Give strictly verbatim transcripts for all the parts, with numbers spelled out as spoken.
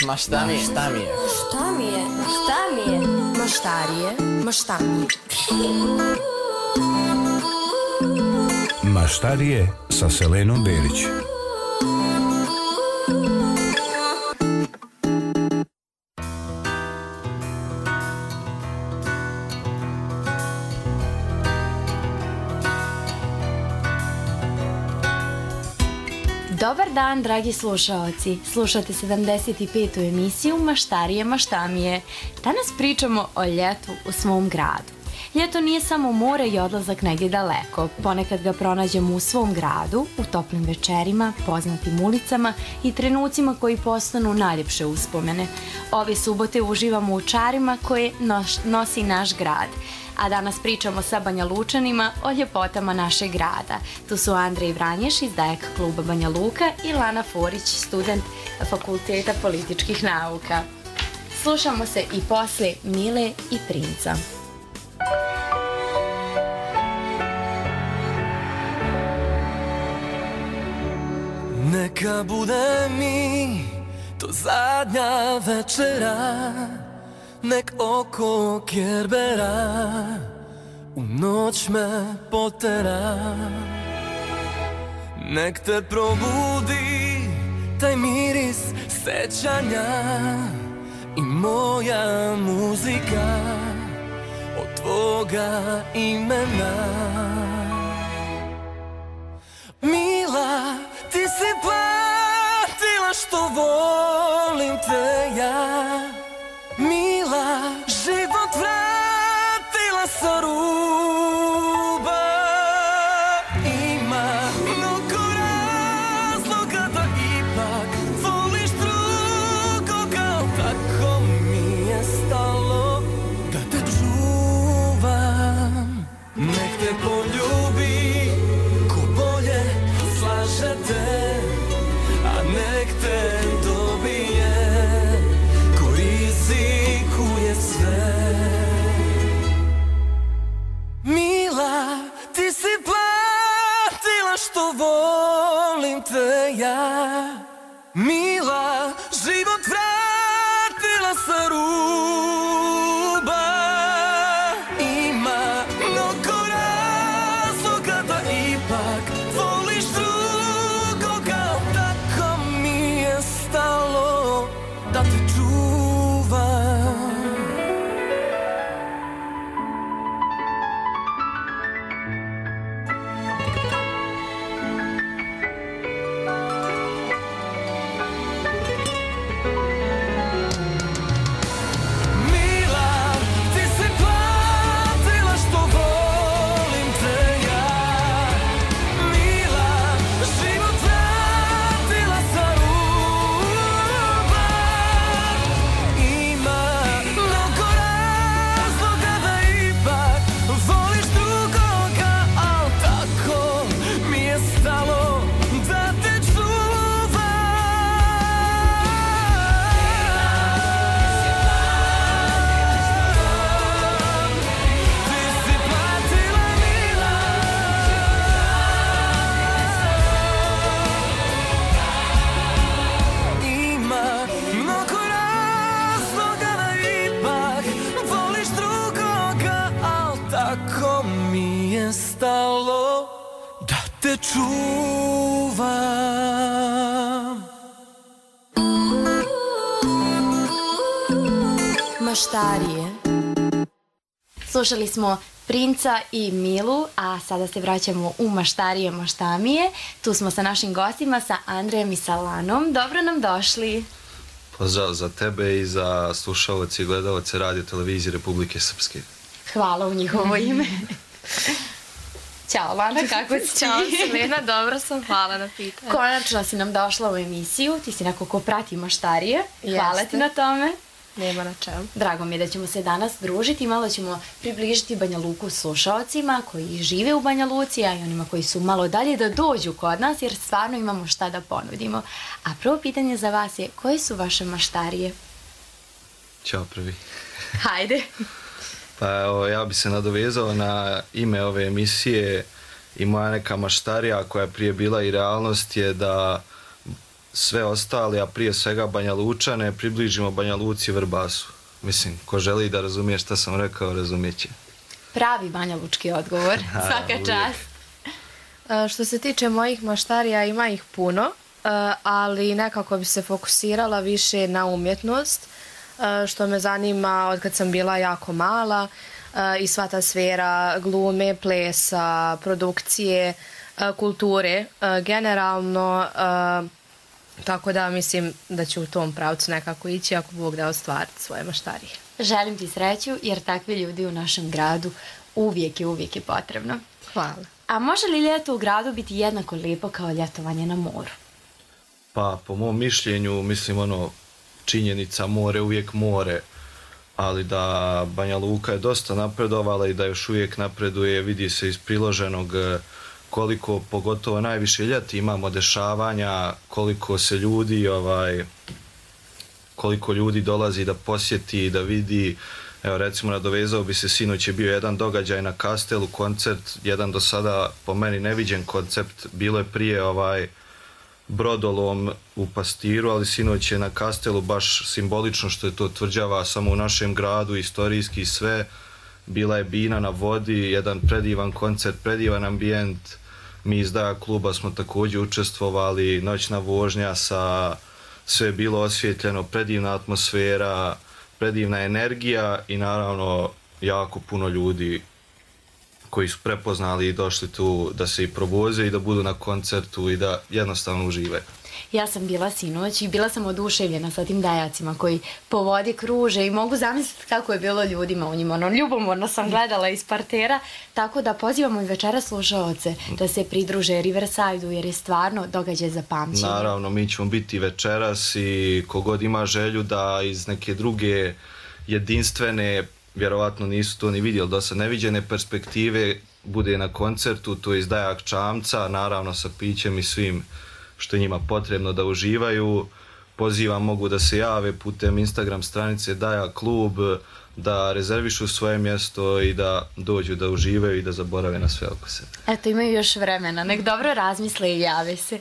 Ma šta mi je? Šta mi je? Šta mi je? Šta mi je? Maštarije, maštami. Maštarije sa Selenom Berić. Dobar dan, dragi slušaoci. Slušate sedamdeset petu emisiju Maštarije, maštamije. Danas pričamo o ljetu u svom gradu. Ljeto nije samo more i odlazak negdje daleko. Ponekad ga pronađemo u svom gradu, u toplim večerima, poznatim ulicama i trenucima koji postanu najljepše uspomene. Ove subote uživamo u čarima koje nosi naš grad. A danas pričamo sa Banja Lučanima o ljepotama našeg grada. Tu su Andrej Vranješ iz Dajak kluba Banja Luka i Lana Forić, student Fakulteta političkih nauka. Slušamo se i poslije Mile i Princa. Neka bude mi to zadnja večera, nek oko Kerbera u noć me potera. Nek te probudi taj miris sećanja i moja muzika od tvoga imena. Mila, ti si platila što volim te ja. Mila, život vratila sa ruba. Ima mnogo razloga da ipak voliš drugoga, tako mi je stalo da te čuvam. Nek te poljubi ko bolje slaže te, a nek te dobije ko rizikuje sve. Mila, ti si platila što volim te ja. Mila, život vratila sa ruba. Ima mnogo razloga da ipak voliš drugoga, tako mi je stalo da te čuvam. Mila, ti si platila što volim te ja. Mila, život vratila sa ruba. Ima mnogo razloga da ipak voliš drugoga, al tako mi je stalo da te čuvam. Ti si platila, Mila. Ima mnogo razloga da ipak voliš drugoga, al tako mi je stalo da te čuvam. Maštarije. Slušali smo Princa i Milu, a sada se vraćamo u Maštarije, maštamije. Tu smo sa našim gostima, sa Andrejem i sa Lanom. Dobro nam došli. Pozdrav za tebe i za slušalce i gledalce Radio Televizije Republike Srpske. Hvala u njihovo ime. Ćao Lana, kako si? Ćao Selena, dobro sam, hvala na pitanju. Konačno si nam došla u emisiju, ti si neko ko prati Maštarije. Hvala Jeste. ti na tome. Nema na čemu. Drago mi je da ćemo se danas družiti i malo ćemo približiti Banja Luku slušaocima koji žive u Banja Luci, a i onima koji su malo dalje da dođu kod nas, jer stvarno imamo šta da ponudimo. A prvo pitanje za vas je, koje su vaše maštarije? Ćao prvi. Hajde. Pa evo, ja bi se nadovezao na ime ove emisije i moja neka maštarija koja je prije bila i realnost je da sve ostali, a prije svega Banja Lučane, približimo Banja Luci i Vrbasu. Mislim, ko želi da razumije šta sam rekao, razumijet će. Pravi banjalučki odgovor, svaka čast. E, što se tiče mojih maštarija, ima ih puno, e, ali nekako bi se fokusirala više na umjetnost, e, što me zanima od kad sam bila jako mala, e, i sva ta sfera glume, plesa, produkcije, e, kulture, e, generalno, e, tako da mislim da ću u tom pravcu nekako ići ako Bog da ostvariti svoje maštarije. Želim ti sreću jer takvi ljudi u našem gradu uvijek i uvijek je potrebno. Hvala. A može li ljeto u gradu biti jednako lijepo kao ljetovanje na moru? Pa, po mom mišljenju, mislim, ono, činjenica more, uvijek more, ali da Banja Luka je dosta napredovala i da još uvijek napreduje, vidi se iz priloženog koliko, pogotovo najviše ljeti, imamo dešavanja, koliko se ljudi, ovaj, koliko ljudi dolazi da posjeti, da vidi. Evo, recimo, nadovezao bi se, sinoć je bio jedan događaj na Kastelu, koncert, jedan do sada po meni neviđen koncept, bilo je prije ovaj brodolom u Pastiru, ali sinoć je na Kastelu baš simbolično što je to tvrđava samo u našem gradu, istorijski sve, bila je bina na vodi, jedan predivan koncert, predivan ambijent, mi iz Daja kluba smo također učestvovali, noćna vožnja sa, sve je bilo osvjetljeno, predivna atmosfera, predivna energija i naravno jako puno ljudi koji su prepoznali i došli tu da se i provoze i da budu na koncertu i da jednostavno uživaju. Ja sam bila sinoć i bila sam oduševljena sa tim dajacima koji po vodi kruže i mogu zamisliti kako je bilo ljudima u njima. Ono, ljubomorno sam gledala iz partera, tako da pozivamo i večera slušaoce da se pridruže Riverside-u jer je stvarno događaj za pamćenje. Naravno, mi ćemo biti večeras i kogod ima želju da iz neke druge jedinstvene, vjerovatno nisu to ni vidjeli, do sad neviđene perspektive, bude na koncertu, to je iz Dajak čamca, naravno sa pićem i svim što je njima potrebno da uživaju. Pozivam, mogu da se jave putem Instagram stranice Daja klub, da rezervišu svoje mjesto i da dođu da uživaju i da zaborave na sve oko sebe. Eto, imaju još vremena, nek dobro razmisle i jave se. E,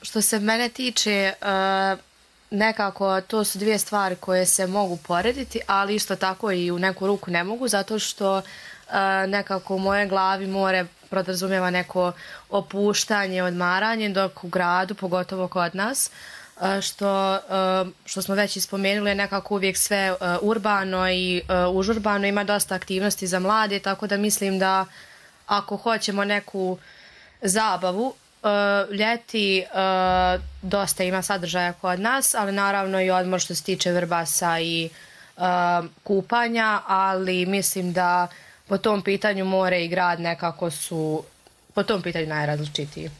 što se mene tiče, e, nekako to su dvije stvari koje se mogu porediti, ali isto tako i u neku ruku ne mogu, zato što e, nekako u mojoj glavi more podrazumijeva neko opuštanje, odmaranje, dok u gradu, pogotovo kod nas, što, što smo već ispomenuli, je nekako uvijek sve urbano i užurbano, ima dosta aktivnosti za mlade, tako da mislim da ako hoćemo neku zabavu, ljeti dosta ima sadržaja kod nas, ali naravno i odmor što se tiče Vrbasa i kupanja, ali mislim da po tom pitanju more i grad nekako su po tom pitanju najrazličitiji.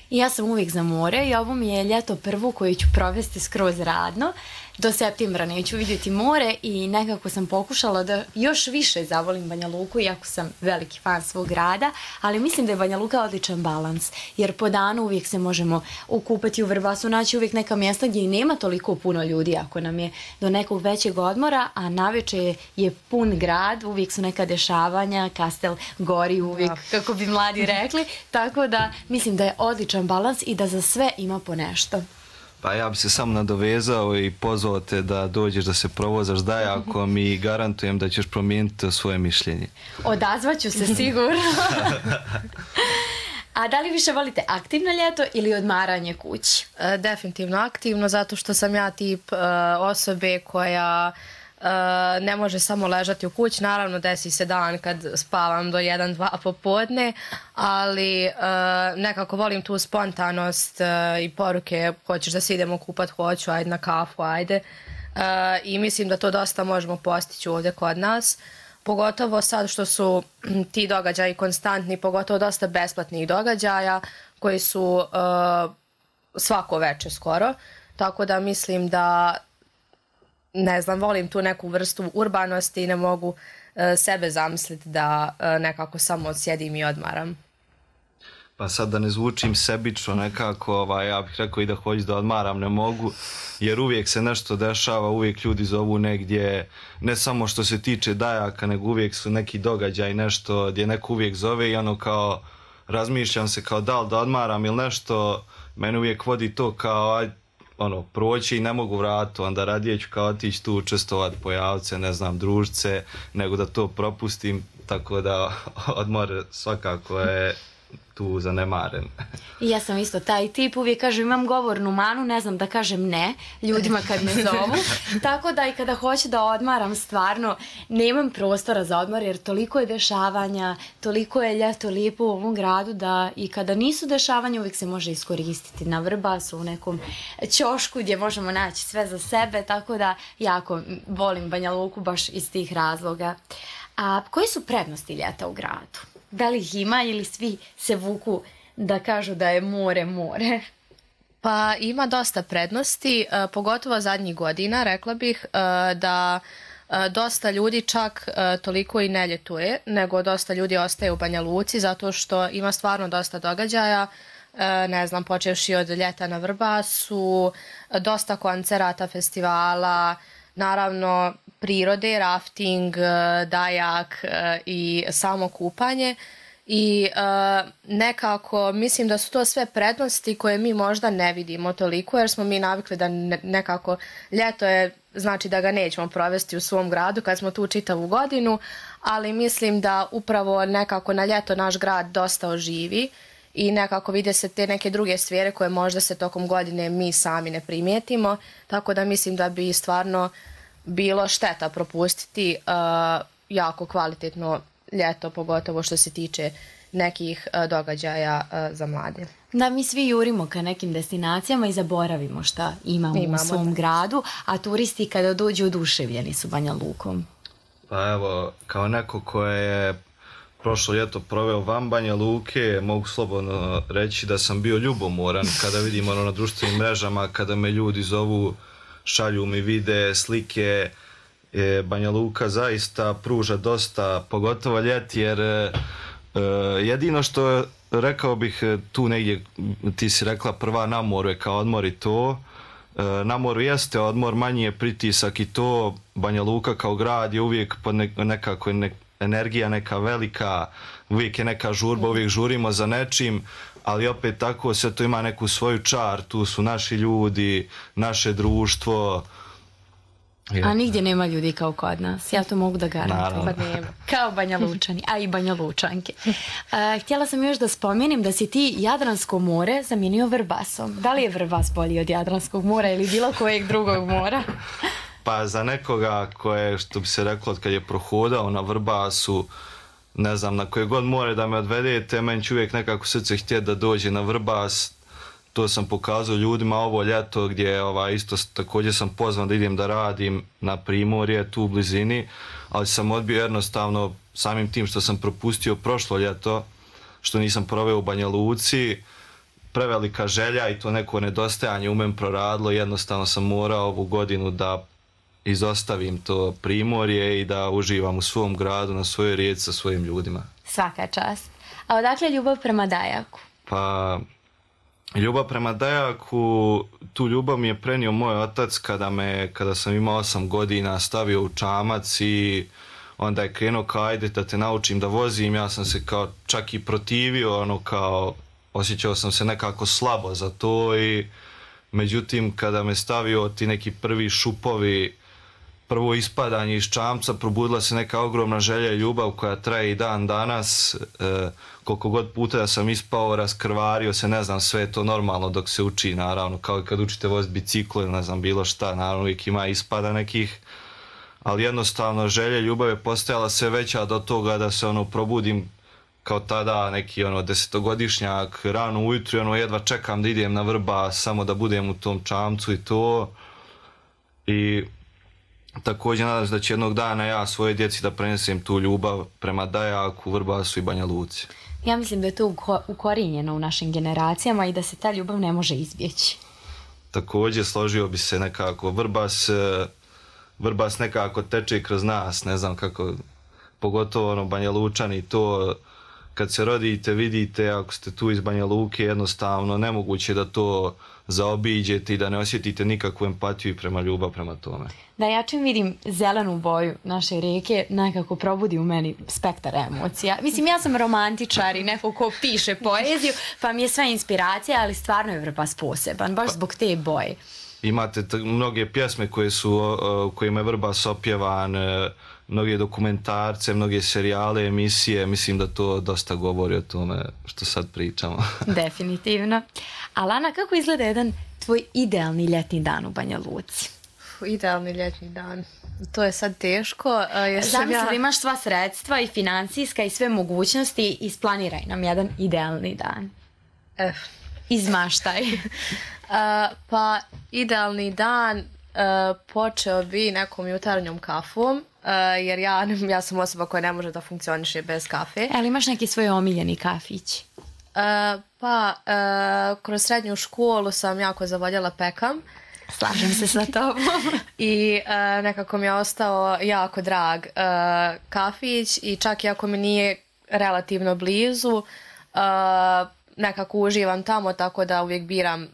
Ja sam uvijek za more i ovo mi je ljeto prvo koje ću provesti skroz radno. Do septembra neću vidjeti more i nekako sam pokušala da još više zavolim Banja Luku, iako sam veliki fan svog grada, ali mislim da je Banja Luka odličan balans, jer po danu uvijek se možemo ukupati u Vrbasu, naći uvijek neka mjesta gdje i nema toliko puno ljudi ako nam je do nekog većeg odmora, a navečer je pun grad, uvijek su neka dešavanja, Kastel gori uvijek, kako bi mladi rekli, tako da mislim da je odličan balans i da za sve ima po nešto. Pa ja bi se samo nadovezao i pozvao te da dođeš da se provozaš Dajakom i garantujem da ćeš promijeniti svoje mišljenje. Odazvaću se sigurno. A da li više volite aktivno ljeto ili odmaranje kući? E, definitivno aktivno, zato što sam ja tip e, osobe koja e, ne može samo ležati u kući. Naravno, desi se dan kad spavam do jedan dva popodne, ali e, nekako volim tu spontanost e, i poruke, hoćeš da se idemo kupat, hoću, ajde na kafu, ajde. E, I mislim da to dosta možemo postići ovdje kod nas. Pogotovo sad što su ti događaji konstantni, pogotovo dosta besplatnih događaja koji su uh, svako večer skoro. Tako da mislim da, ne znam, volim tu neku vrstu urbanosti i ne mogu uh, sebe zamisliti da uh, nekako samo sjedim i odmaram. Pa sad da ne zvučim sebično nekako, ovaj, ja bih rekao i da hoću da odmaram, ne mogu, jer uvijek se nešto dešava, uvijek ljudi zovu negdje, ne samo što se tiče Dajaka, nego uvijek su neki događaj, nešto gdje neko uvijek zove i ono kao razmišljam se kao da li da odmaram ili nešto, mene uvijek vodi to kao aj, ono, proći i ne mogu vratiti, onda radije ću kao otići tu učestovati, pojaviti se, ne znam, družce, nego da to propustim, tako da odmor svakako je tu zanemaren. I ja sam isto taj tip, uvijek kažem imam govornu manu, ne znam da kažem ne ljudima kad me zovu, tako da i kada hoću da odmaram stvarno nemam prostora za odmor jer toliko je dešavanja, toliko je ljeto lijepo u ovom gradu da i kada nisu dešavanja uvijek se može iskoristiti na Vrbasu u nekom ćošku gdje možemo naći sve za sebe, tako da jako volim Banja Luku baš iz tih razloga. A koji su prednosti ljeta u gradu? Da li ih ima ili svi se vuku da kažu da je more, more? Pa ima dosta prednosti, pogotovo zadnjih godina, rekla bih da dosta ljudi čak toliko i ne ljetuje, nego dosta ljudi ostaje u Banja Luci zato što ima stvarno dosta događaja, ne znam, počevši od ljeta na Vrbasu, dosta koncerata, festivala, naravno prirode, rafting, dajak i samo kupanje i nekako mislim da su to sve prednosti koje mi možda ne vidimo toliko jer smo mi navikli da nekako ljeto je, znači da ga nećemo provesti u svom gradu kad smo tu čitavu godinu, ali mislim da upravo nekako na ljeto naš grad dosta oživi i nekako vide se te neke druge sfere koje možda se tokom godine mi sami ne primijetimo, tako da mislim da bi stvarno bilo šteta propustiti uh, jako kvalitetno ljeto, pogotovo što se tiče nekih uh, događaja uh, za mlade. Da, mi svi jurimo ka nekim destinacijama i zaboravimo šta imamo, imamo u svom da. gradu, a turisti kada dođu oduševljeni su Banja Lukom. Pa evo, kao neko koje je prošlo ljeto proveo van Banja Luke, mogu slobodno reći da sam bio ljubomoran kada vidim ono na društvenim mrežama, kada me ljudi zovu, šalju mi vide, slike. E, Banja Luka zaista pruža dosta, pogotovo ljeti, jer e, jedino što rekao bih tu negdje, ti si rekla prva na moru je kao odmor i to. E, na moru jeste odmor, manji je pritisak i to. Banja Luka kao grad je uvijek pod ne, nekako ne, energija neka velika, uvijek je neka žurba, uvijek žurimo za nečim, ali opet tako sve to ima neku svoju čar, tu su naši ljudi, naše društvo. A nigdje nema ljudi kao kod nas, ja to mogu da garantujem. Kao Banja Lučani, a i Banja Lučanke. Uh, htjela sam još da spomenem da si ti Jadransko more zamijenio Vrbasom. Da li je Vrbas bolji od Jadranskog mora ili bilo kojeg drugog mora? Pa za nekoga koje, što bi se reklo, kad je prohodao na Vrbasu, ne znam, na koje god more da me odvedete, meni će uvijek nekako srce htjeti da dođe na Vrbas. To sam pokazao ljudima ovo ljeto gdje ovaj, isto također sam pozvan da idem da radim na Primorje, tu u blizini, ali sam odbio jednostavno samim tim što sam propustio prošlo ljeto, što nisam proveo u Banja Luci, prevelika želja i to neko nedostajanje u meni proradilo, jednostavno sam morao ovu godinu da izostavim to Primorje i da uživam u svom gradu, na svojoj rijeci sa svojim ljudima. Svaka čast. A odakle ljubav prema Dajaku? Pa, ljubav prema Dajaku, tu ljubav mi je prenio moj otac kada me, kada sam imao osam godina, stavio u čamac i onda je krenuo kao ajde da te naučim da vozim. Ja sam se kao čak i protivio, ono kao osjećao sam se nekako slabo za to i međutim kada me stavio ti neki prvi šupovi, prvo ispadanje iz čamca, probudila se neka ogromna želja i ljubav koja traje i dan danas. E, koliko god puta da sam ispao, raskrvario se, ne znam, sve je to normalno dok se uči, naravno, kao i kad učite voziti biciklo ili ne znam, bilo šta, naravno uvijek ima ispada nekih, ali jednostavno želja i ljubav je postajala sve veća do toga da se ono probudim kao tada neki ono desetogodišnjak, rano ujutru i ono jedva čekam da idem na Vrbas, samo da budem u tom čamcu i to. I također nadam se da će jednog dana ja svoje djeci da prenesem tu ljubav prema Dajaku, Vrbasu i Banja Luci. Ja mislim da je to ukorijenjeno u našim generacijama i da se ta ljubav ne može izbjeći. Također složio bi se nekako, Vrbas, Vrbas nekako teče kroz nas, ne znam kako, pogotovo ono Banja Lučani, to kad se rodite, vidite, ako ste tu iz Banja Luke, jednostavno nemoguće da to zaobiđete i da ne osjetite nikakvu empatiju i prema ljubav prema tome. Da, ja čim vidim zelenu boju naše rijeke, nekako probudi u meni spektar emocija. Mislim, ja sam romantičar i neko ko piše poeziju, pa mi je sve inspiracija, ali stvarno je Vrbas poseban, baš zbog te boje. Imate t- mnoge pjesme koje su, uh, kojima je Vrbas opjevan, uh, mnoge dokumentarce, mnoge serijale, emisije, mislim da to dosta govori o tome što sad pričamo. Definitivno. A Lana, kako izgleda jedan tvoj idealni ljetni dan u Banja Luci? Idealni ljetni dan. To je sad teško. Uh, jer sam Zamisli ja... da imaš sva sredstva i financijska i sve mogućnosti, isplaniraj nam jedan idealni dan. Eh. Izmaštaj. Uh, pa idealni dan uh, počeo bi nekom jutarnjom kafom, uh, jer ja, ja sam osoba koja ne može da funkcioniše bez kafe. Ali imaš neki svoj omiljeni kafić? Uh, pa uh, kroz srednju školu sam jako zavoljela pekam. Slažem se sa tobom. I uh, nekako mi je ostao jako drag uh, kafić i čak i ako mi nije relativno blizu, uh, nekako uživam tamo, tako da uvijek biram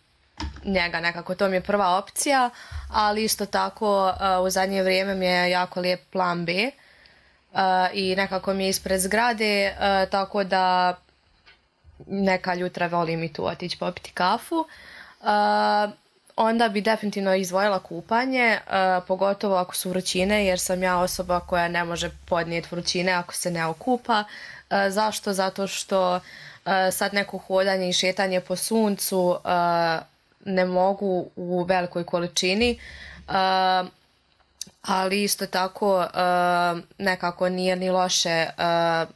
njega, nekako to mi je prva opcija, ali isto tako uh, u zadnje vrijeme mi je jako lijep plan B uh, i nekako mi je ispred zgrade, uh, tako da neka jutra volim i tu otići popiti kafu. Uh, onda bi definitivno izdvojila kupanje, uh, pogotovo ako su vrućine, jer sam ja osoba koja ne može podnijeti vrućine ako se ne okupa. Uh, zašto? Zato što uh, sad neko hodanje i šetanje po suncu uh, ne mogu u velikoj količini, uh, ali isto tako uh, nekako nije ni loše uh,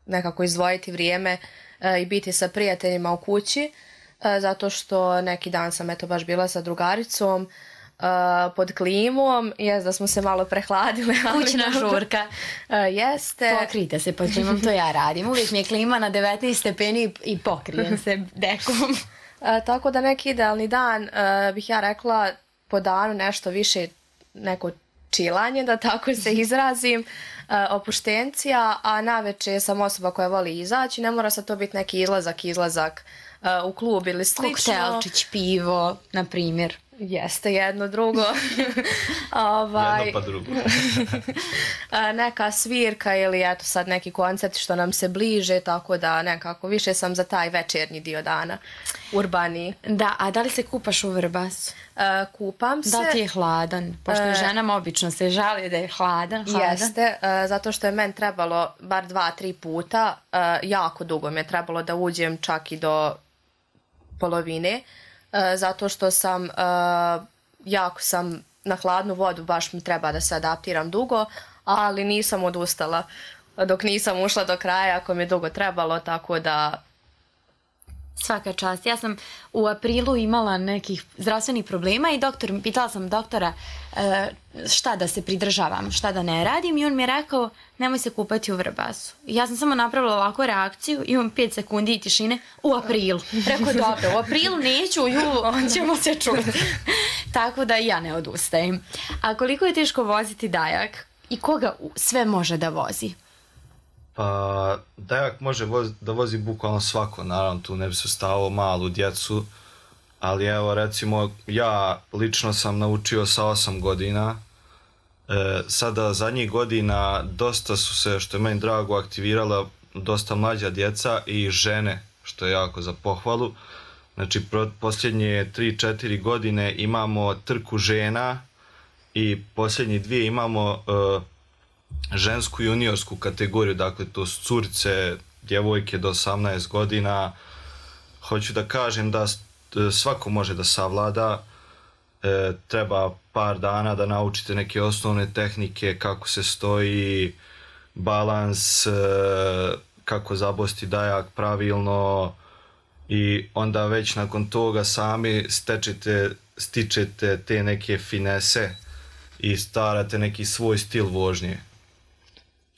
nekako izdvojiti vrijeme uh, i biti sa prijateljima u kući, uh, zato što neki dan sam eto baš bila sa drugaricom uh, pod klimom, jest da smo se malo prehladile. Kućna žurka. Uh, jeste. Pokrite se pod klimom, to ja radim. Uvijek mi je klima na devetnaest stepeni i pokrijem se dekom. E, tako da neki idealni dan e, bih ja rekla po danu nešto više neko čilanje, da tako se izrazim, e, opuštencija, a navečer sam osoba koja voli izaći, ne mora sad to biti neki izlazak, izlazak e, u klub ili slično. Koktelčić, pivo, na primjer. Jeste, jedno, drugo. ovaj, Jedno pa drugo. neka svirka ili eto sad neki koncert što nam se bliže, tako da nekako više sam za taj večernji dio dana, urbani. Da, a da li se kupaš u Vrbasu? Uh, kupam se. Da ti je hladan? Pošto uh, ženama obično se žali da je hladan. hladan. Jeste, uh, zato što je meni trebalo bar dva, tri puta, uh, jako dugo mi je trebalo da uđem čak i do polovine, uh, zato što sam, uh, jako sam na hladnu vodu, baš mi treba da se adaptiram dugo, ali nisam odustala dok nisam ušla do kraja, ako mi je dugo trebalo, tako da... Svaka čast. Ja sam u aprilu imala nekih zdravstvenih problema i doktor, pitala sam doktora e, šta da se pridržavam, šta da ne radim i on mi je rekao nemoj se kupati u Vrbasu. I ja sam samo napravila ovakvu reakciju, imam pet sekundi i tišine u aprilu. Rekao dobro, u aprilu neću, u julu ćemo se čuti. Tako da i ja ne odustajem. A koliko je teško voziti Dajak i koga sve može da vozi? Pa, Dajak može voz, da vozi bukvalno svako, naravno tu ne bi se stavilo malu djecu, ali evo recimo ja lično sam naučio sa osam godina, e, sada zadnjih godina dosta su se, što je meni drago, aktivirala dosta mlađa djeca i žene, što je jako za pohvalu. Znači pro, posljednje tri četiri godine imamo trku žena i posljednje dvije imamo e, žensku juniorsku kategoriju, dakle to su curice, djevojke do osamnaest godina. Hoću da kažem da svako može da savlada, e, treba par dana da naučite neke osnovne tehnike, kako se stoji, balans, e, kako zabosti Dajak pravilno i onda već nakon toga sami stečete, stičete te neke finese i starate neki svoj stil vožnje.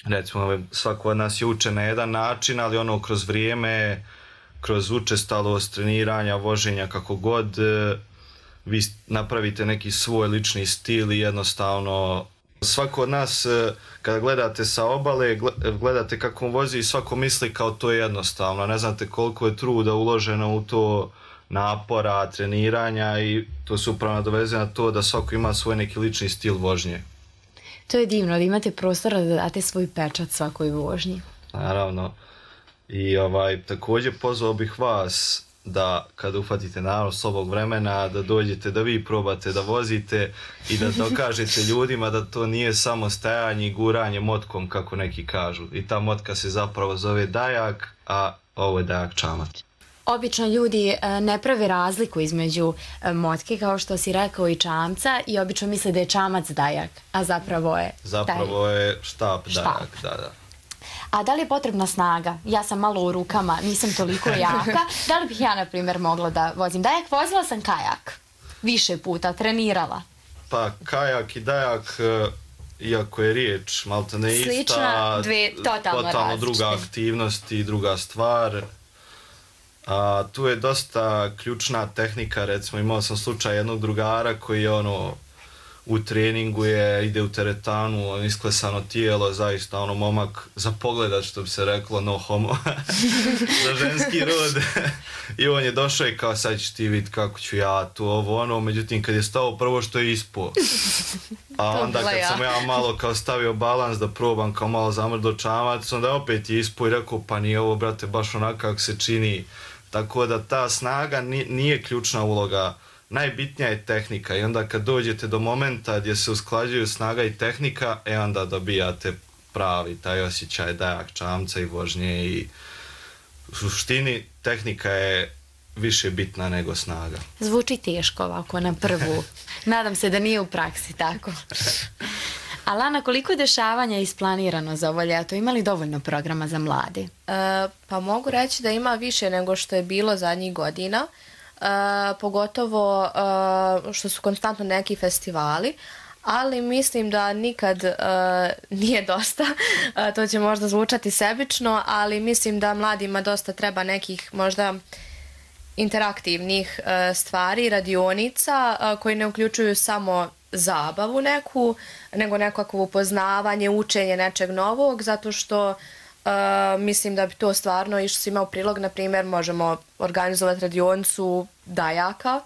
Recimo, svako od nas je učen na jedan način, ali ono kroz vrijeme, kroz učestalost treniranja, voženja, kako god, vi napravite neki svoj lični stil i jednostavno Svako od nas, kada gledate sa obale, gledate kako on vozi i svako misli kao to je jednostavno. Ne znate koliko je truda uloženo u to, napora, treniranja i to se upravo nadovezuje na to da svako ima svoj neki lični stil vožnje. To je divno, da imate prostora da date svoj pečat svakoj vožnji. Naravno. I ovaj, također pozvao bih vas da kada uhvatite naravno slobog vremena, da dođete, da vi probate da vozite i da dokažete ljudima da to nije samo stajanje i guranje motkom kako neki kažu. I ta motka se zapravo zove dajak, a ovo je dajak čamac. Obično ljudi ne prave razliku između motke, kao što si rekao, i čamca i obično misle da je čamac dajak, a zapravo je Zapravo dajak. je štap dajak, da, da. A da li je potrebna snaga? Ja sam malo u rukama, nisam toliko jaka. Da li bih ja, na primjer, mogla da vozim dajak? Vozila sam kajak. Više puta, trenirala. Pa kajak i dajak, iako je riječ malta ne ista, slična, dve totalno, totalno druga aktivnost i druga stvar. A, tu je dosta ključna tehnika, recimo imao sam slučaj jednog drugara koji je ono u treningu je, ide u teretanu, on isklesano tijelo, zaista ono momak za pogledat, što bi se reklo, no homo, za ženski rod. I on je došao i kao sad ćeš ti vidjeti kako ću ja tu ovo ono, međutim kad je stao prvo što je ispao. A onda kad sam ja malo kao stavio balans da probam kao malo zamrdo čamac, onda opet je ispao i rekao pa nije ovo brate baš onako kako se čini. Tako da ta snaga nije ključna uloga. Najbitnija je tehnika i onda kad dođete do momenta gdje se usklađuju snaga i tehnika, e onda dobijate pravi taj osjećaj dajak čamca i vožnje i u suštini tehnika je više bitna nego snaga. Zvuči teško ovako na prvu. Nadam se da nije u praksi tako. Alana, koliko dešavanja je isplanirano za ovo ljeto? Ima li dovoljno programa za mlade? E, pa mogu reći da ima više nego što je bilo zadnjih godina. Uh, pogotovo uh, što su konstantno neki festivali, ali mislim da nikad uh, nije dosta. Uh, to će možda zvučati sebično, ali mislim da mladima dosta treba nekih možda interaktivnih uh, stvari, radionica uh, koji ne uključuju samo zabavu neku, nego nekakvo upoznavanje, učenje nečeg novog, zato što Uh, mislim da bi to stvarno išlo svima u prilog. Na primjer, možemo organizovati radionicu dajaka,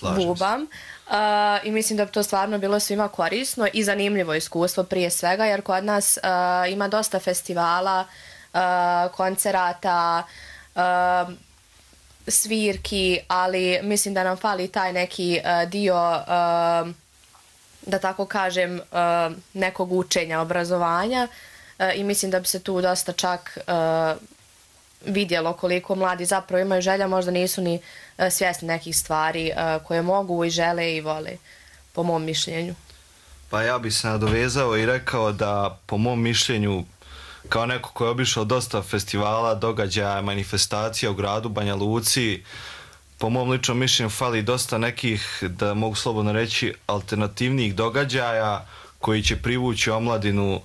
bubam, uh, i mislim da bi to stvarno bilo svima korisno i zanimljivo iskustvo prije svega, jer kod nas uh, ima dosta festivala, uh, koncerata, uh, svirki, ali mislim da nam fali taj neki uh, dio, uh, da tako kažem, uh, nekog učenja, obrazovanja. I mislim da bi se tu dosta čak uh, vidjelo koliko mladi zapravo imaju želja, možda nisu ni uh, svjesni nekih stvari uh, koje mogu i žele i vole, po mom mišljenju. Pa ja bi se nadovezao i rekao da po mom mišljenju, kao neko koji je obišao dosta festivala, događaja, manifestacija u gradu Banja Luci, po mom ličnom mišljenju fali dosta nekih, da mogu slobodno reći, alternativnih događaja koji će privući omladinu,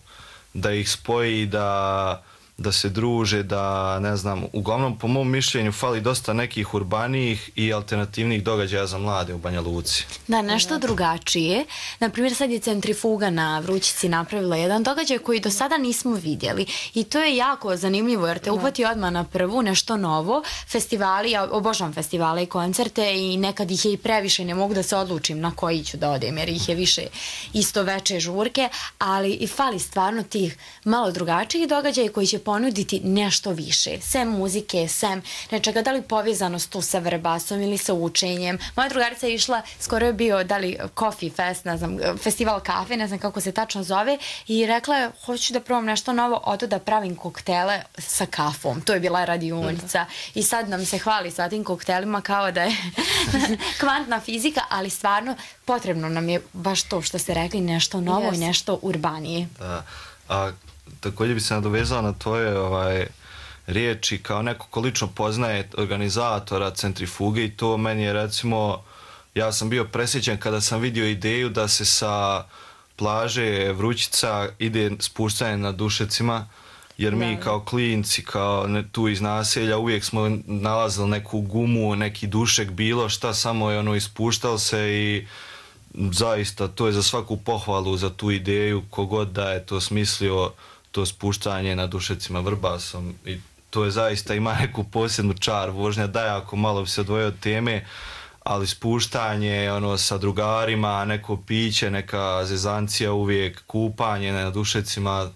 da ih spoji, da, da se druže, da ne znam, uglavnom po mom mišljenju fali dosta nekih urbanijih i alternativnih događaja za mlade u Banja Luci. Da, nešto drugačije. Naprimjer, sad je Centrifuga na Vrućici napravila jedan događaj koji do sada nismo vidjeli i to je jako zanimljivo jer te uhvati odmah na prvu, nešto novo. Festivali, ja obožavam festivale i koncerte i nekad ih je i previše, ne mogu da se odlučim na koji ću da odem jer ih je više isto veče žurke, ali i fali stvarno tih malo drugačijih događaja koji će ponuditi nešto više, sem muzike, sem nečega, da li povezanost tu sa verbasom ili sa učenjem. Moja drugarica je išla, skoro je bio, da li Coffee Fest, ne znam, festival kafe, ne znam kako se tačno zove, i rekla je, hoću da probam nešto novo, odo da pravim koktele sa kafom. To je bila radionica. I sad nam se hvali sa tim koktelima kao da je kvantna fizika, ali stvarno potrebno nam je baš to što ste rekli, nešto novo yes. i nešto urbanije. Da, a također bi se nadovezala na tvoje ovaj, riječi kao neko ko lično poznaje organizatora Centrifuge i to meni je recimo, ja sam bio presjećan kada sam vidio ideju da se sa plaže Vrućica ide spuštanje na Dušecima, jer mi kao klinci, kao ne, tu iz naselja uvijek smo nalazili neku gumu, neki dušek, bilo šta, samo je ono ispuštalo se i zaista to je za svaku pohvalu za tu ideju, kogod da je to smislio, to spuštanje na Dušecima Vrbasom, i to je zaista ima neku posebnu čar. Vožnja da jako malo bi se odvojio od teme, ali spuštanje ono sa drugarima, neko piće, neka zezancija uvijek, kupanje na Dušecima,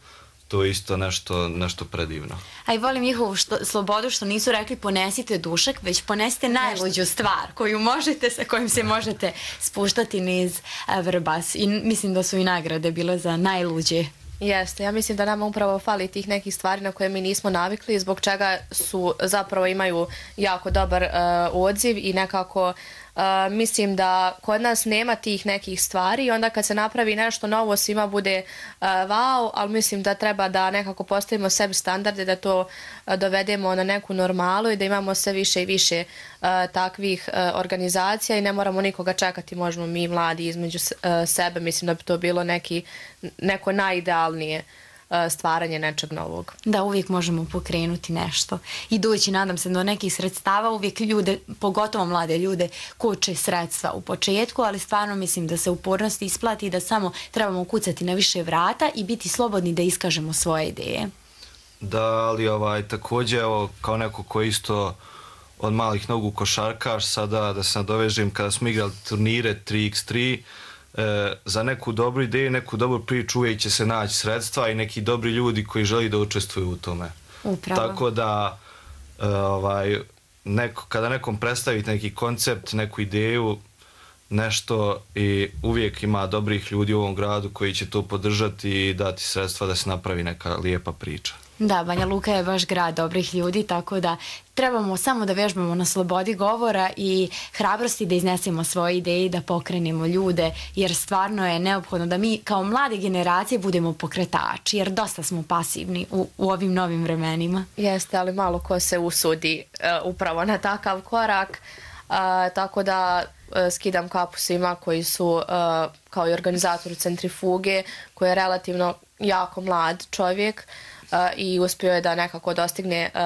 to je isto nešto, nešto predivno. A i volim njihovu što, slobodu što nisu rekli ponesite dušek, već ponesite najluđu stvar koju možete, sa kojim se možete spuštati niz Vrbas. I mislim da su i nagrade bile za najluđe. Jeste, ja mislim da nama upravo fali tih nekih stvari na koje mi nismo navikli, zbog čega su zapravo imaju jako dobar uh, odziv i nekako uh, mislim da kod nas nema tih nekih stvari i onda kad se napravi nešto novo svima bude uh, wow, ali mislim da treba da nekako postavimo sebi standarde, da to uh, dovedemo na neku normalu i da imamo sve više i više uh, takvih uh, organizacija i ne moramo nikoga čekati, možemo mi mladi između uh, sebe, mislim da bi to bilo neki, neko najidealnije stvaranje nečeg novog. Da, uvijek možemo pokrenuti nešto. Idući, nadam se, do nekih sredstava, uvijek ljude, pogotovo mlade ljude, koče sredstva u početku, ali stvarno mislim da se upornost isplati i da samo trebamo kucati na više vrata i biti slobodni da iskažemo svoje ideje. Da, ali ovaj, također, evo, kao neko ko isto od malih nogu košarkaš, sada da se nadovežem, kada smo igrali turnire tri iks tri, E, za neku dobru ideju, neku dobru priču uvijek će se naći sredstva i neki dobri ljudi koji želi da učestvuju u tome. Upravo. Tako da e, ovaj, neko, kada nekom predstavite neki koncept, neku ideju, nešto, i uvijek ima dobrih ljudi u ovom gradu koji će to podržati i dati sredstva da se napravi neka lijepa priča. Da, Banja Luka je baš grad dobrih ljudi, tako da trebamo samo da vežbamo na slobodi govora i hrabrosti da iznesemo svoje ideje i da pokrenemo ljude, jer stvarno je neophodno da mi kao mlade generacije budemo pokretači, jer dosta smo pasivni u, u ovim novim vremenima. Jeste, ali malo ko se usudi uh, upravo na takav korak, uh, tako da uh, skidam kapu svima koji su uh, kao i organizatori Centrifuge, koji je relativno jako mlad čovjek, Uh, i uspio je da nekako dostigne uh,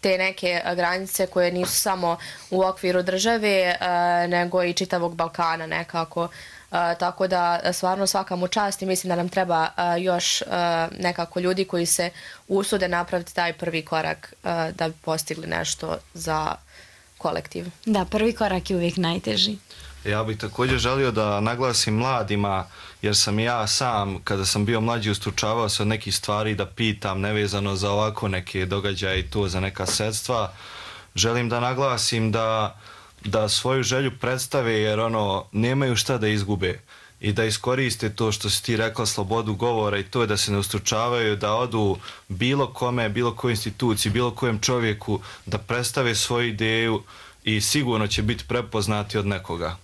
te neke uh, granice koje nisu samo u okviru države, uh, nego i čitavog Balkana nekako. Uh, tako da stvarno svaka mu čast i mislim da nam treba uh, još uh, nekako ljudi koji se usude napraviti taj prvi korak uh, da bi postigli nešto za kolektiv. Da, prvi korak je uvijek najteži. Ja bih također želio da naglasim mladima, jer sam ja sam, kada sam bio mlađi, ustručavao se od nekih stvari da pitam nevezano za ovako neke događaje i to za neka sredstva. Želim da naglasim da, da svoju želju predstave, jer ono, nemaju šta da izgube, i da iskoriste to što si ti rekla, slobodu govora, i to je da se ne ustručavaju, da odu bilo kome, bilo kojoj instituciji, bilo kojem čovjeku, da predstave svoju ideju i sigurno će biti prepoznati od nekoga.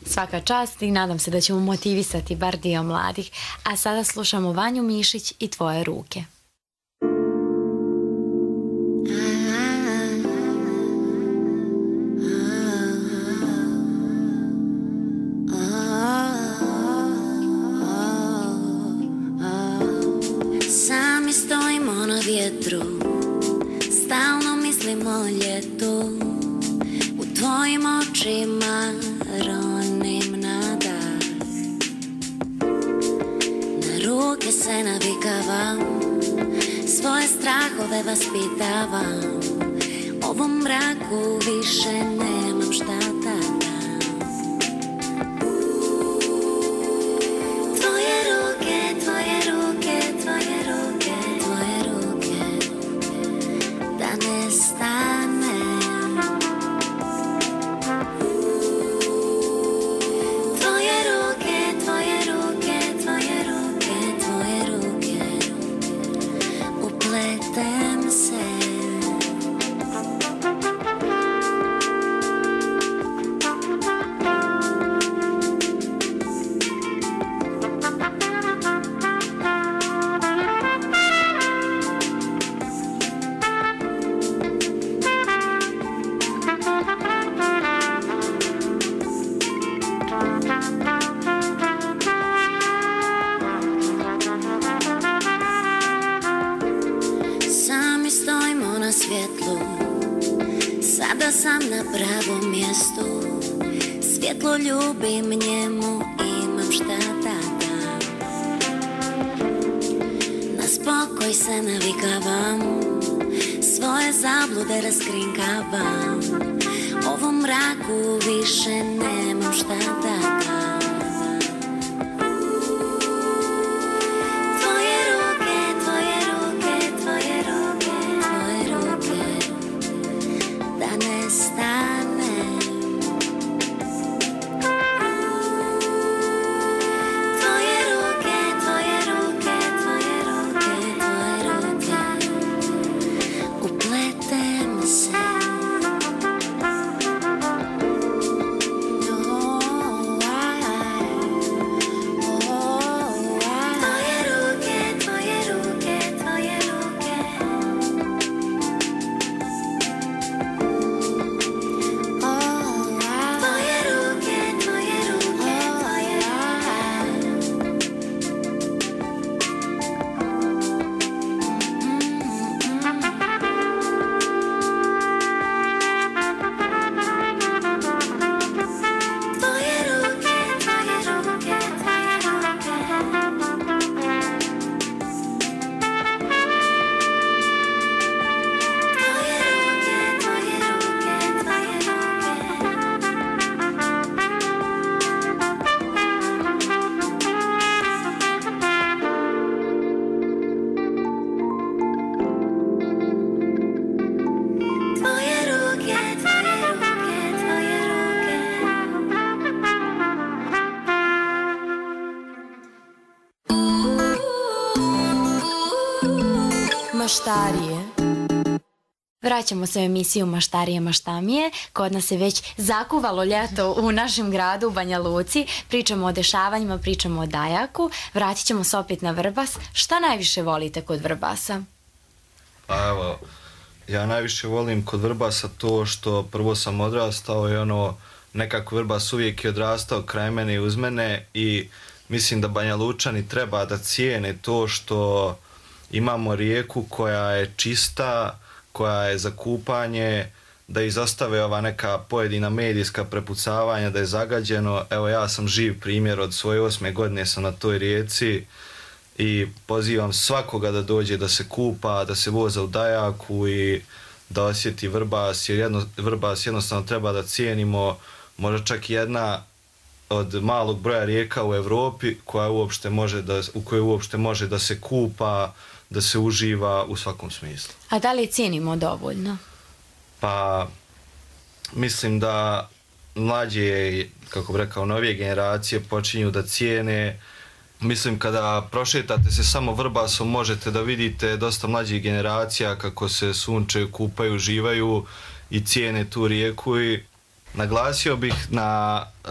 Svaka čast i nadam se da ćemo motivisati bar dio mladih. A sada slušamo Vanju Mišić i Tvoje ruke. Sami stojimo na vjetru, stalno mislimo o ljetu, u tvojim očima ronim na dah. Na ruke se navikavam, svoje strahove vaspitavam, ovom mraku više nemam šta da dam. Tvoje ruke, tvoje ruke, tvoje ruke, tvoje ruke, da ne stane. svjetlo ljubim njemu, imam šta da dam. Na spokoj se navikavam, svoje zablude raskrinkavam. Ovom mraku više nemam šta da dam. Tvoje ruke, tvoje ruke, tvoje ruke, tvoje ruke, da nestane. Tvoje ruke, tvoje ruke, tvoje ruke, tvoje ruke, upletem se. Maštarije. Vraćamo se u emisiju Maštarije, maštamije. Kod nas je već zakuvalo ljeto u našem gradu, u Banja Luci. Pričamo o dešavanjima, pričamo o dajaku. Vratit ćemo se opet na Vrbas. Šta najviše volite kod Vrbasa? Pa evo, ja najviše volim kod Vrbasa to što prvo sam odrastao i ono, nekako Vrbas uvijek je odrastao kraj mene i uz mene i mislim da Banja Lučani treba da cijene to što imamo rijeku koja je čista, koja je za kupanje, da izostave ova neka pojedina medijska prepucavanja, da je zagađeno. Evo, ja sam živ primjer, od svoje osme godine sam na toj rijeci i pozivam svakoga da dođe da se kupa, da se voza u dajaku i da osjeti Vrbas, jer jedno, Vrbas jednostavno treba da cijenimo, možda čak jedna od malog broja rijeka u Europi koja uopšte može da, u kojoj uopšte može da se kupa, da se uživa u svakom smislu. A da li cijenimo dovoljno? Pa, mislim da mlađe, kako bi rekao, novije generacije počinju da cijene. Mislim, kada prošetate se samo Vrbasom, možete da vidite dosta mlađih generacija kako se sunčaju, kupaju, uživaju i cijene tu rijeku. I naglasio bih na e,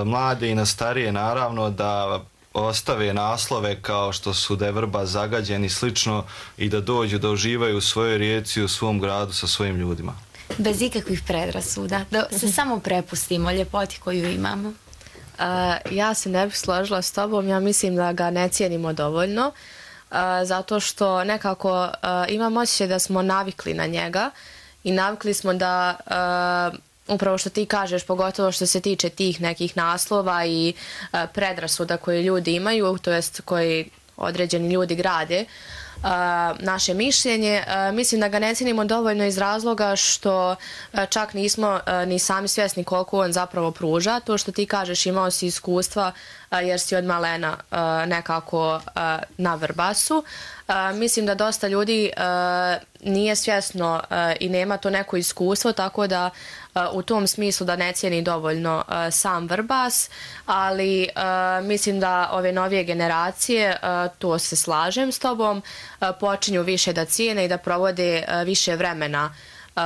mlade i na starije, naravno, da ostave naslove kao što su da je Vrbas zagađen i slično i da dođu da uživaju u svojoj rijeci, u svom gradu sa svojim ljudima. Bez ikakvih predrasuda, da se samo prepustimo ljepoti koju imamo. Uh, ja se ne bih složila s tobom, ja mislim da ga ne cijenimo dovoljno, uh, zato što nekako uh, imam osjećaj da smo navikli na njega i navikli smo da uh, upravo što ti kažeš, pogotovo što se tiče tih nekih naslova i uh, predrasuda koje ljudi imaju, to jest koji određeni ljudi grade, uh, naše mišljenje. Uh, mislim da ga ne cijenimo dovoljno iz razloga što uh, čak nismo uh, ni sami svjesni koliko on zapravo pruža. To što ti kažeš, imao si iskustva uh, jer si od malena uh, nekako uh, na Vrbasu. Uh, mislim da dosta ljudi uh, nije svjesno uh, i nema to neko iskustvo, tako da uh, u tom smislu da ne cijeni dovoljno uh, sam Vrbas, ali uh, mislim da ove novije generacije, uh, to se slažem s tobom, uh, počinju više da cijene i da provode uh, više vremena uh,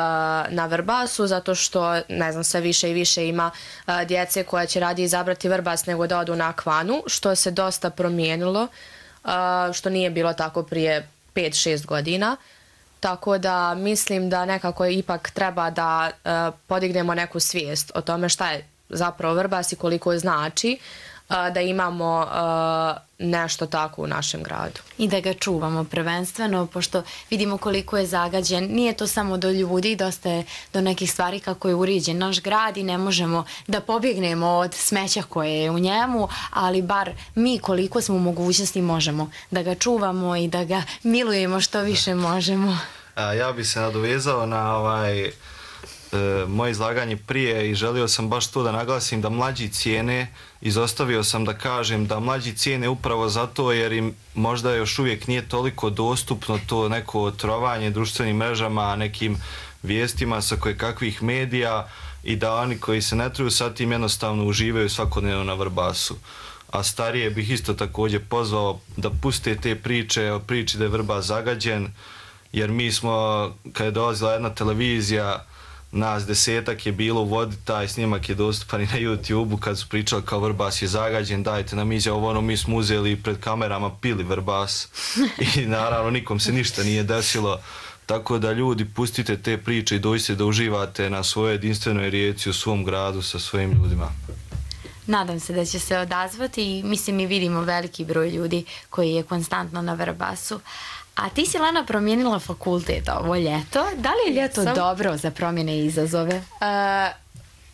na Vrbasu, zato što, ne znam, sve više i više ima uh, djece koja će radije izabrati Vrbas nego da odu na Akvanu, što se dosta promijenilo, uh, što nije bilo tako prije pet šest godina. Tako da mislim da nekako ipak treba da uh, podignemo neku svijest o tome šta je zapravo Vrbas i koliko znači. da imamo nešto tako u našem gradu. I da ga čuvamo prvenstveno, pošto vidimo koliko je zagađen. Nije to samo do ljudi, dosta je do nekih stvari kako je uređen naš grad i ne možemo da pobjegnemo od smeća koje je u njemu, ali bar mi koliko smo u mogućnosti možemo da ga čuvamo i da ga milujemo što više možemo. A, ja bi se nadovezao na ovaj, e, moje izlaganje prije i želio sam baš to da naglasim da mlađi cijene, izostavio sam da kažem da mlađi cijene upravo zato jer im možda još uvijek nije toliko dostupno to neko otrovanje društvenim mrežama, nekim vijestima sa kojekakvih medija i da oni koji se ne truju sa tim jednostavno uživaju svakodnevno na Vrbasu. A starije bih isto također pozvao da puste te priče o priči da je Vrbas zagađen, jer mi smo, kad je dolazila jedna televizija, nas desetak je bilo u vodi, taj snimak je dostupan i na YouTube-u kad su pričali kao Vrbas je zagađen, dajte nam izjavu, ono mi smo uzeli pred kamerama, pili Vrbas i naravno nikom se ništa nije desilo. Tako da ljudi, pustite te priče i dođite da uživate na svojoj jedinstvenoj rijeci u svom gradu sa svojim ljudima. Nadam se da će se odazvati i mislim mi vidimo veliki broj ljudi koji je konstantno na Vrbasu. A ti si, Lena, promijenila fakultet ovo ljeto. Da li je ljeto Sam... dobro za promjene i izazove? Uh,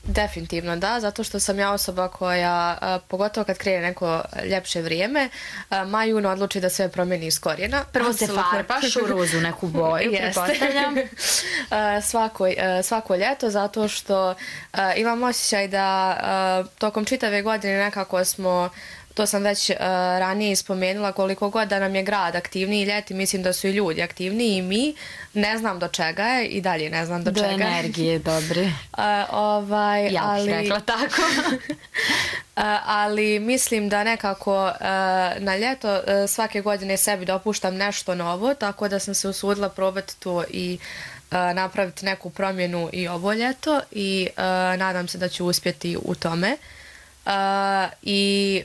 definitivno da, zato što sam ja osoba koja, uh, pogotovo kad krene neko ljepše vrijeme, uh, maj jun odluči da sve promijeni iz korijena. Prvo se farbaš u rozu neku boju, pretpostavljam. uh, svako, uh, svako ljeto, zato što uh, imam osjećaj da uh, tokom čitave godine nekako smo, to sam već uh, ranije spomenula, koliko god da nam je grad aktivniji ljeti, mislim da su i ljudi aktivniji i mi. Ne znam do čega je i dalje ne znam do, do čega. Do energije, dobre. Uh, ovaj, ja ali, bih rekla tako. uh, ali mislim da nekako uh, na ljeto uh, svake godine sebi dopuštam nešto novo, tako da sam se usudila probati to i uh, napraviti neku promjenu i ovo ljeto i uh, nadam se da ću uspjeti u tome. Uh, I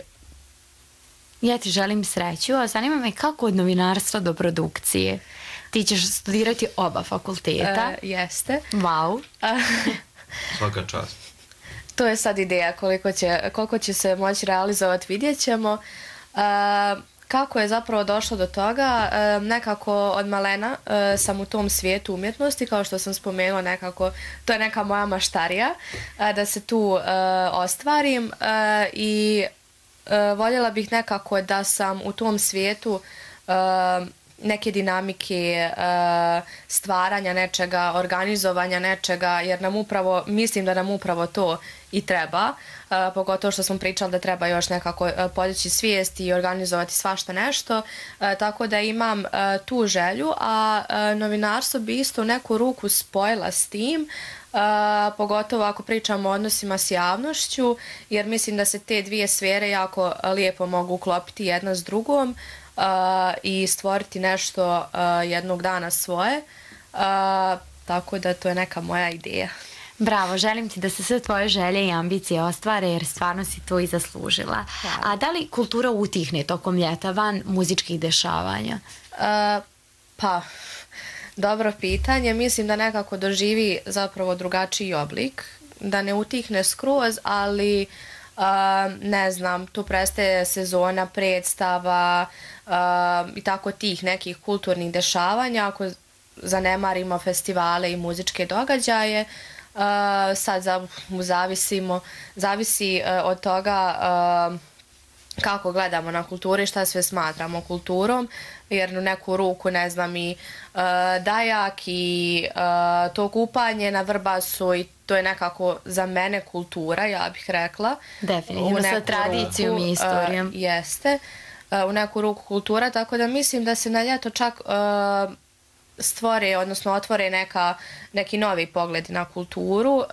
ja ti želim sreću, a zanima me kako od novinarstva do produkcije. Ti ćeš studirati oba fakulteta. Uh, jeste. Wow. Uh, Svaka čast. To je sad ideja koliko će, koliko će se moći realizovati, vidjet ćemo. Uh, kako je zapravo došlo do toga? Uh, nekako od malena uh, sam u tom svijetu umjetnosti, kao što sam spomenula, nekako to je neka moja maštarija uh, da se tu uh, ostvarim uh, i Uh, voljela bih nekako da sam u tom svijetu uh, neke dinamike, uh, stvaranja nečega, organizovanja nečega, jer nam upravo, mislim da nam upravo to i treba, uh, pogotovo što smo pričali da treba još nekako uh, podići svijest i organizovati svašta nešto, uh, tako da imam uh, tu želju, a uh, novinarstvo bi isto u neku ruku spojila s tim, Uh, pogotovo ako pričamo o odnosima s javnošću, jer mislim da se te dvije sfere jako lijepo mogu uklopiti jedna s drugom uh, i stvoriti nešto uh, jednog dana svoje, uh, tako da to je neka moja ideja. Bravo, želim ti da se sve tvoje želje i ambicije ostvare jer stvarno si to i zaslužila. A da li kultura utihne tokom ljeta van muzičkih dešavanja? Uh, pa... Dobro pitanje, mislim da nekako doživi zapravo drugačiji oblik, da ne utihne skroz, ali uh, ne znam, tu prestaje sezona predstava uh, i tako tih nekih kulturnih dešavanja, ako zanemarimo festivale i muzičke događaje, uh, sad za, zavisimo, zavisi uh, od toga uh, kako gledamo na kulturu i šta sve smatramo kulturom, jer u neku ruku, ne znam, i uh, dajak i uh, to kupanje na Vrbasu i to je nekako za mene kultura, ja bih rekla. Definitivno, sa tradicijom i istorijom. Uh, jeste, uh, u neku ruku kultura, tako da mislim da se na ljeto čak uh, stvore, odnosno otvore neka, neki novi pogledi na kulturu, uh,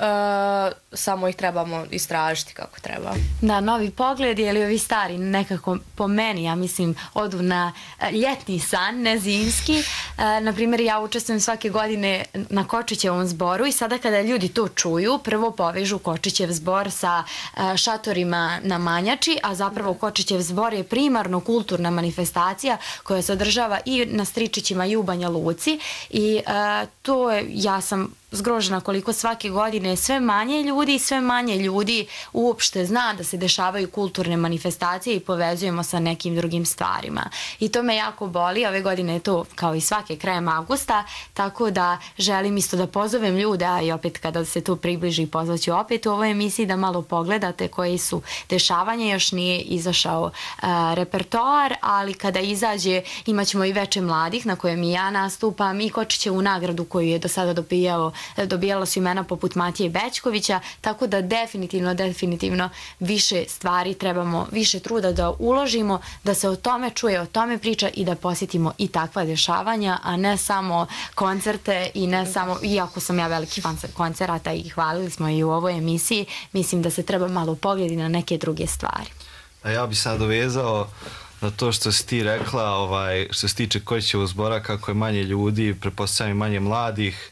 samo ih trebamo istražiti kako treba. Da, novi pogled, ili ovi stari nekako po meni, ja mislim, odu na ljetni san, ne zimski. Uh, naprimjer, ja učestvujem svake godine na Kočićevom zboru i sada kada ljudi to čuju, prvo povežu Kočićev zbor sa uh, šatorima na Manjači, a zapravo Kočićev zbor je primarno kulturna manifestacija koja se održava i na Stričićima i u Banja Luci. I uh, to je, ja sam zgrožena koliko svake godine sve manje ljudi i sve manje ljudi uopšte zna da se dešavaju kulturne manifestacije i povezujemo sa nekim drugim stvarima. I to me jako boli, ove godine je to kao i svake krajem avgusta, tako da želim isto da pozovem ljude, a i opet kada se to približi pozvaću opet u ovoj emisiji da malo pogledate koji su dešavanja, još nije izašao uh, repertoar, ali kada izađe imat ćemo i veče mladih na kojem i ja nastupam i Kočićevu nagradu koju je do sada dobijao, dobijala su imena poput Matije Bećkovića, tako da definitivno, definitivno više stvari trebamo, više truda da uložimo, da se o tome čuje, o tome priča i da posjetimo i takva dešavanja, a ne samo koncerte i ne samo, iako sam ja veliki fan koncerata i hvalili smo i u ovoj emisiji, mislim da se treba malo pogledati na neke druge stvari. A ja bi se nadovezao na to što si ti rekla, ovaj, što se tiče Kočićevog zbora, kako je manje ljudi, pretpostavljam i manje mladih,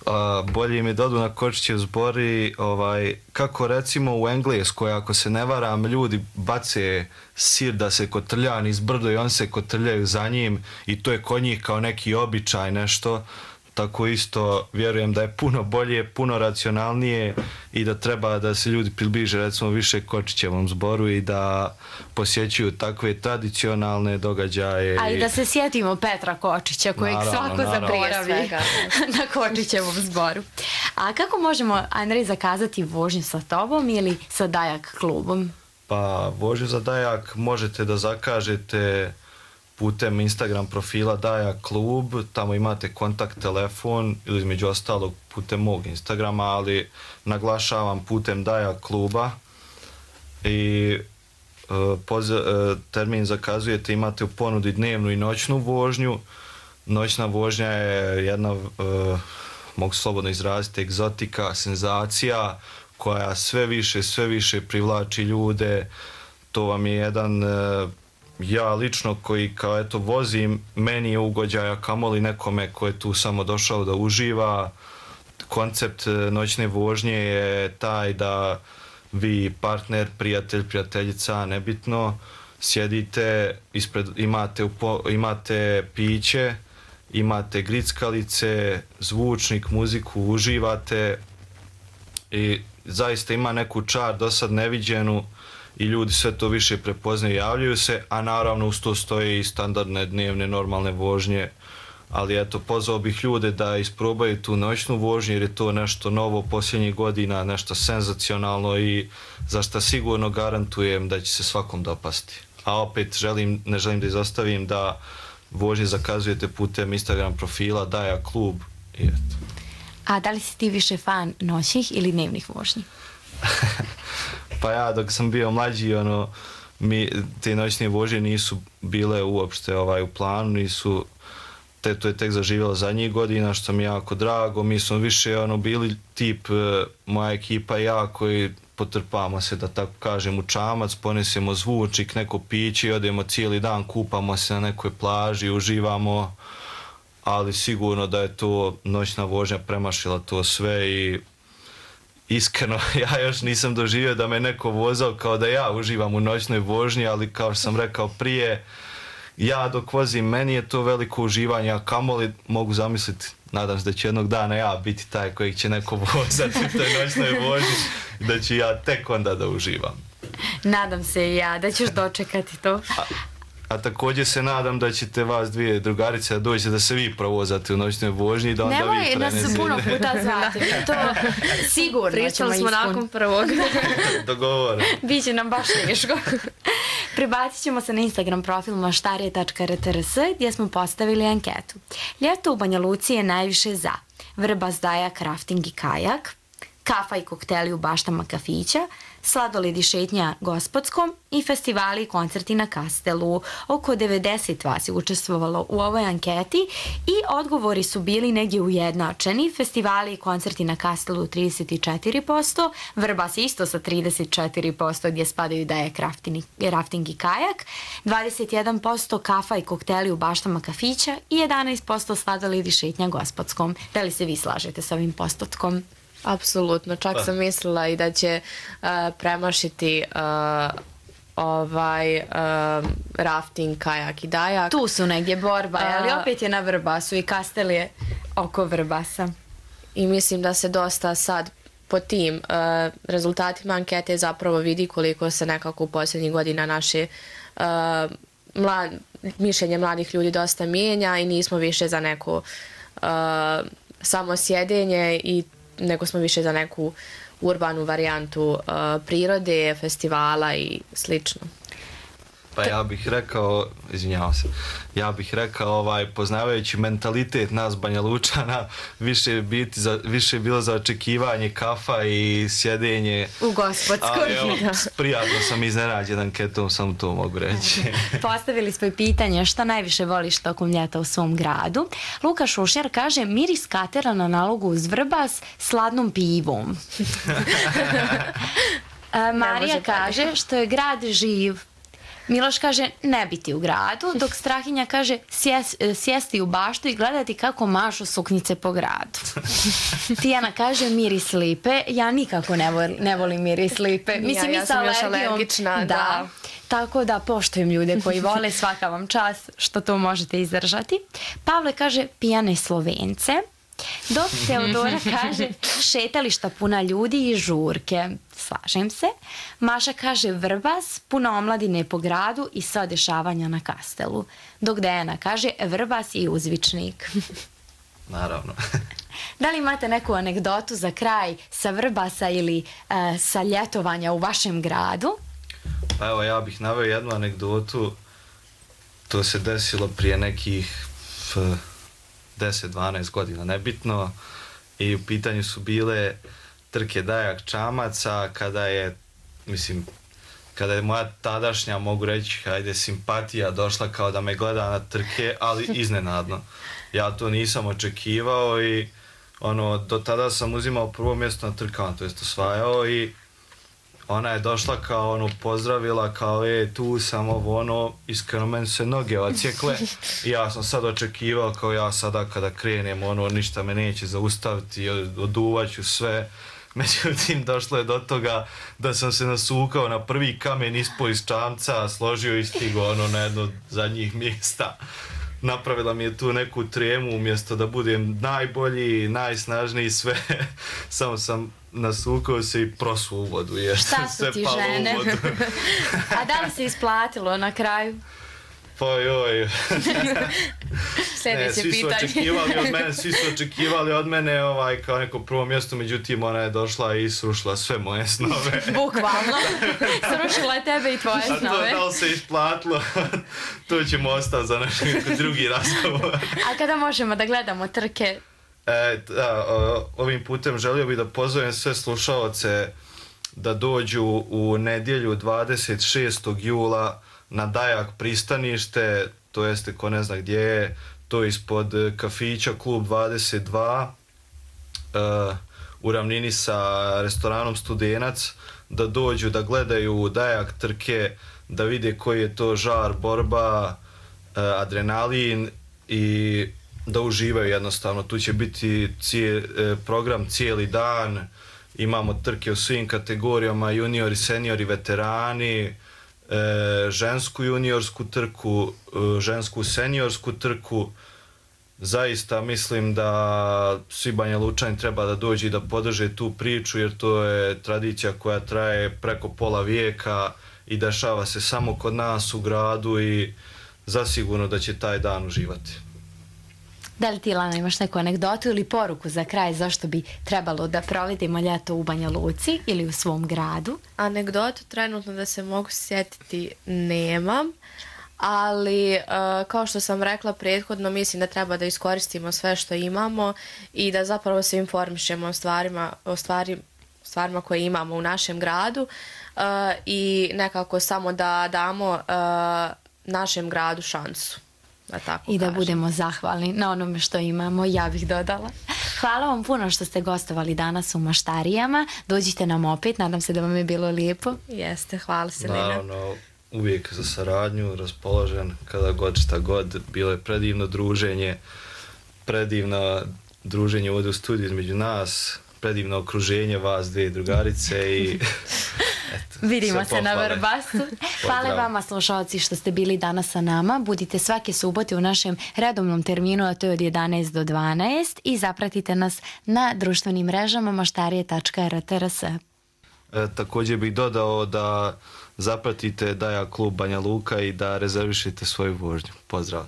uh, bolje im je da odu na Kočićev zbor i ovaj, kako recimo u Engleskoj, ako se ne varam, ljudi bace sir da se kotrlja niz brdo i on se kotrljaju za njim i to je kod njih kao neki običaj, nešto. Tako isto vjerujem da je puno bolje, puno racionalnije i da treba da se ljudi približe recimo više Kočićevom zboru i da posjećuju takve tradicionalne događaje. A i da se sjetimo Petra Kočića kojeg naravno, svako naravno. zaboravi na Kočićevom zboru. A kako možemo, Andrej, zakazati vožnju sa tobom ili sa Dajak klubom? Pa vožnju za Dajak možete da zakažete putem Instagram profila Dajak klub, tamo imate kontakt telefon ili između ostalog putem mog Instagrama, ali naglašavam putem Dajak kluba i uh, poz- uh, termin zakazujete, imate u ponudi dnevnu i noćnu vožnju. Noćna vožnja je jedna, uh, mogu slobodno izraziti, egzotika, senzacija koja sve više, sve više privlači ljude. To vam je jedan uh, ja lično koji kao eto vozim, meni je ugođaja kamoli nekome ko je tu samo došao da uživa. Koncept noćne vožnje je taj da vi partner, prijatelj, prijateljica, nebitno, sjedite, ispred, imate, upo, imate piće, imate grickalice, zvučnik, muziku, uživate i zaista ima neku čar do sad neviđenu i ljudi sve to više prepoznaju i javljaju se, a naravno uz to stoje i standardne dnevne normalne vožnje, ali eto pozvao bih ljude da isprobaju tu noćnu vožnju jer je to nešto novo posljednjih godina, nešto senzacionalno i za što sigurno garantujem da će se svakom dopasti. A opet želim, ne želim da izostavim da vožnje zakazujete putem Instagram profila Dajak klub i eto. A da li si ti više fan noćnih ili dnevnih vožnji? Pa ja dok sam bio mlađi, ono, mi, te noćne vožnje nisu bile uopšte ovaj, u planu, nisu, te, to je tek zaživjelo zadnjih godina, što mi je jako drago. Mi smo više ono, bili tip, moja ekipa i ja, koji potrpamo se, da tako kažem, u čamac, ponesemo zvučnik, neko piće i odemo cijeli dan, kupamo se na nekoj plaži, uživamo, ali sigurno da je to noćna vožnja premašila to sve i iskreno, ja još nisam doživio da me neko vozao kao da ja uživam u noćnoj vožnji, ali kao što sam rekao prije, ja dok vozim, meni je to veliko uživanje, a kamoli mogu zamisliti, nadam se da će jednog dana ja biti taj kojeg će neko vozati u toj noćnoj vožnji, da ću ja tek onda da uživam. Nadam se i ja da ćeš dočekati to. A, a također se nadam da ćete vas dvije drugarice da dođete da se vi provozate u noćnoj vožnji i da onda Nemoj, vi prenesete. Nemoj, nas puno puta zvati. To sigurno Pričali ćemo smo ispuniti. nakon prvog. Dogovoreno. Biće nam baš teško. Prebacit ćemo se na Instagram profil maštarije tačka r t r s gdje smo postavili anketu. Ljeto u Banja Luci je najviše za vrbas, dajak, rafting i kajak, kafa i kokteli u baštama kafića, sladoled i šetnja Gospodskom i festivali i koncerti na Kastelu. Oko devedeset vas je učestvovalo u ovoj anketi i odgovori su bili negdje ujednačeni. Festivali i koncerti na Kastelu trideset četiri posto, Vrbas isto sa trideset četiri posto gdje spadaju dajak, rafting, rafting i kajak, dvadeset jedan posto kafa i kokteli u baštama kafića i jedanaest posto sladoled i šetnja Gospodskom. Da li se vi slažete s ovim postotkom? Apsolutno, čak sam mislila i da će uh, premašiti uh, ovaj uh, rafting, kajak i dajak. Tu su negdje borba, A- ali opet je na Vrbasu i Kastel je oko Vrbasa. i mislim da se dosta sad po tim uh, rezultatima ankete zapravo vidi koliko se nekako u posljednjih godina naše uh, mlad, mišljenje mladih ljudi dosta mijenja i nismo više za neko uh, samo sjedenje, i nego smo više za neku urbanu varijantu uh, prirode, festivala i slično. Pa ja bih rekao, izvinjavam se, ja bih rekao, ovaj, poznavajući mentalitet nas Banja Lučana, više, biti za, više je bilo za očekivanje kafa i sjedenje. U gospodskoj. Ali evo, prijatno sam iznenađen anketom, samo to mogu reći. Postavili smo i pitanje šta najviše voliš tokom ljeta u svom gradu. Luka Šušnjar kaže miris katera na nalogu uz Vrbas s ladnom pivom. Marija kaže što je grad živ. Miloš kaže ne biti u gradu, dok Strahinja kaže sjes, sjesti u baštu i gledati kako mašu suknjice po gradu. Tijana kaže miris lipe, ja nikako ne volim, ne volim miris lipe. Mislim, ja, ja sam još alergična. Da. da. Tako da poštujem ljude koji vole, svaka vam čast što to možete izdržati. Pavle kaže pijane Slovence. Dok Teodora kaže šetališta puna ljudi i žurke. Slažem se. Maša kaže Vrbas, puno omladine po gradu i sva dešavanja na Kastelu. Dok Dejana kaže Vrbas i uzvičnik. Naravno. Da li imate neku anegdotu za kraj sa Vrbasa ili uh, sa ljetovanja u vašem gradu? Pa evo, ja bih naveo jednu anegdotu. To se desilo prije nekih f, deset dvanaest godina, nebitno. I u pitanju su bile trke Dajak Čamaca, kada je, mislim, kada je moja tadašnja, mogu reći, hajde, simpatija došla kao da me gleda na trke, ali iznenadno. Ja to nisam očekivao i ono, do tada sam uzimao prvo mjesto na trkama, to jest osvajao, i ona je došla kao ono, pozdravila kao e, tu sam ovo ono, iskreno meni se noge odsjekle i ja sam sad očekivao kao ja sada kada krenem ono, ništa me neće zaustaviti, oduvaću sve. Međutim, došlo je do toga da sam se nasukao na prvi kamen ispo iz čamca, složio i stigo ono na jedno od zadnjih mjesta. Napravila mi je tu neku tremu, umjesto da budem najbolji, najsnažniji, sve. Samo sam nasukao se i prosuo u vodu. Jer šta su ti žene? A da li se isplatilo na kraju? Pa joj. Sljedeće svi pitanje. Su očekivali od mene, svi su očekivali od mene ovaj, kao neko prvo mjesto, međutim ona je došla i srušila sve moje snove. Bukvalno. Srušila je tebe i tvoje snove. A to da li se isplatilo, to ćemo ostati za naš drugi razgovor. A kada možemo da gledamo trke? E, da, ovim putem želio bih da pozovem sve slušaoce da dođu u nedjelju dvadeset šestog jula na Dajak pristanište, to jeste ko ne zna gdje je, to je ispod kafića Klub dvadeset dva, uh, u ravnini sa restoranom Studenac, da dođu da gledaju Dajak trke, da vide koji je to žar, borba, uh, adrenalin i da uživaju jednostavno. Tu će biti cije, uh, program cijeli dan, imamo trke u svim kategorijama, juniori, seniori, veterani, E, žensku juniorsku trku, e, žensku seniorsku trku. Zaista mislim da svi Banja Lučani treba da dođu i da podrže tu priču, jer to je tradicija koja traje preko pola vijeka i dešava se samo kod nas u gradu i zasigurno da će taj dan uživati. Da li ti, Lana, imaš neku anegdotu ili poruku za kraj zašto bi trebalo da provedemo ljeto u Banja Luci ili u svom gradu? Anegdotu trenutno da se mogu sjetiti nemam, ali uh, kao što sam rekla prethodno, mislim da treba da iskoristimo sve što imamo i da zapravo se informišemo o stvarima, o stvari, stvarima koje imamo u našem gradu uh, i nekako samo da damo uh, našem gradu šansu. Da tako I da kažem. budemo zahvalni na onome što imamo, ja bih dodala. Hvala vam puno što ste gostovali danas u Maštarijama. Dođite nam opet, nadam se da vam je bilo lijepo. Jeste, hvala Selina. Naravno, uvijek za saradnju, raspoložen kada god šta god. Bilo je predivno druženje, predivno druženje ovdje u studiju između nas, predivno okruženje vas dvije drugarice i Eto, Vidimo sve se na pohvale. Vrbasu. Hvala Pozdrav. vama slušalci što ste bili danas sa nama. Budite svake subote u našem redovnom terminu, a to je od jedanaest do dvanaest i zapratite nas na društvenim mrežama maštarije tačka r t r s. E, također bih dodao da zapratite Daja klub Banja Luka i da rezervišite svoju vožnju. Pozdrav.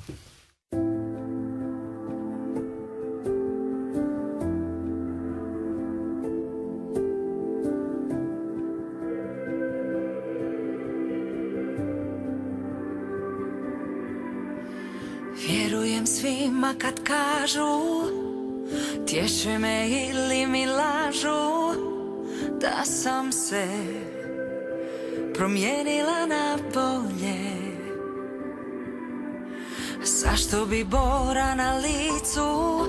Vjerujem svima kad kažu, tješe me ili mi lažu, da sam se promijenila na bolje. Zašto bi bora na licu